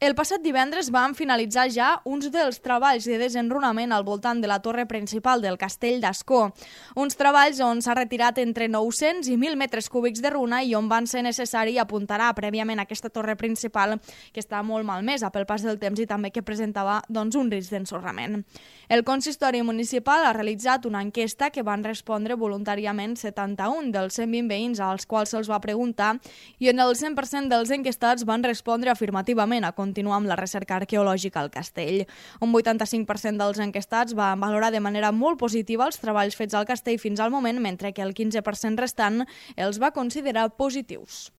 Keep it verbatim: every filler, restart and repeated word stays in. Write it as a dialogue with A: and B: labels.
A: El passat divendres van finalitzar ja uns dels treballs de desenrunament al voltant de la torre principal del castell d'Ascó. Uns treballs on s'ha retirat entre nou-cents i mil metres cúbics de runa i on van ser necessari apuntarar prèviament aquesta torre principal que està molt malmesa pel pas del temps i també que presentava doncs, un risc d'ensorrament. El consistori municipal ha realitzat una enquesta que van respondre voluntàriament setanta-un dels cent vint veïns als quals se'ls va preguntar i en el cent per cent dels enquestats van respondre afirmativament a continuar amb la recerca arqueològica al castell. Un vuitanta-cinc per cent dels enquestats van valorar de manera molt positiva els treballs fets al castell fins al moment, mentre que el quinze per cent restant els va considerar positius.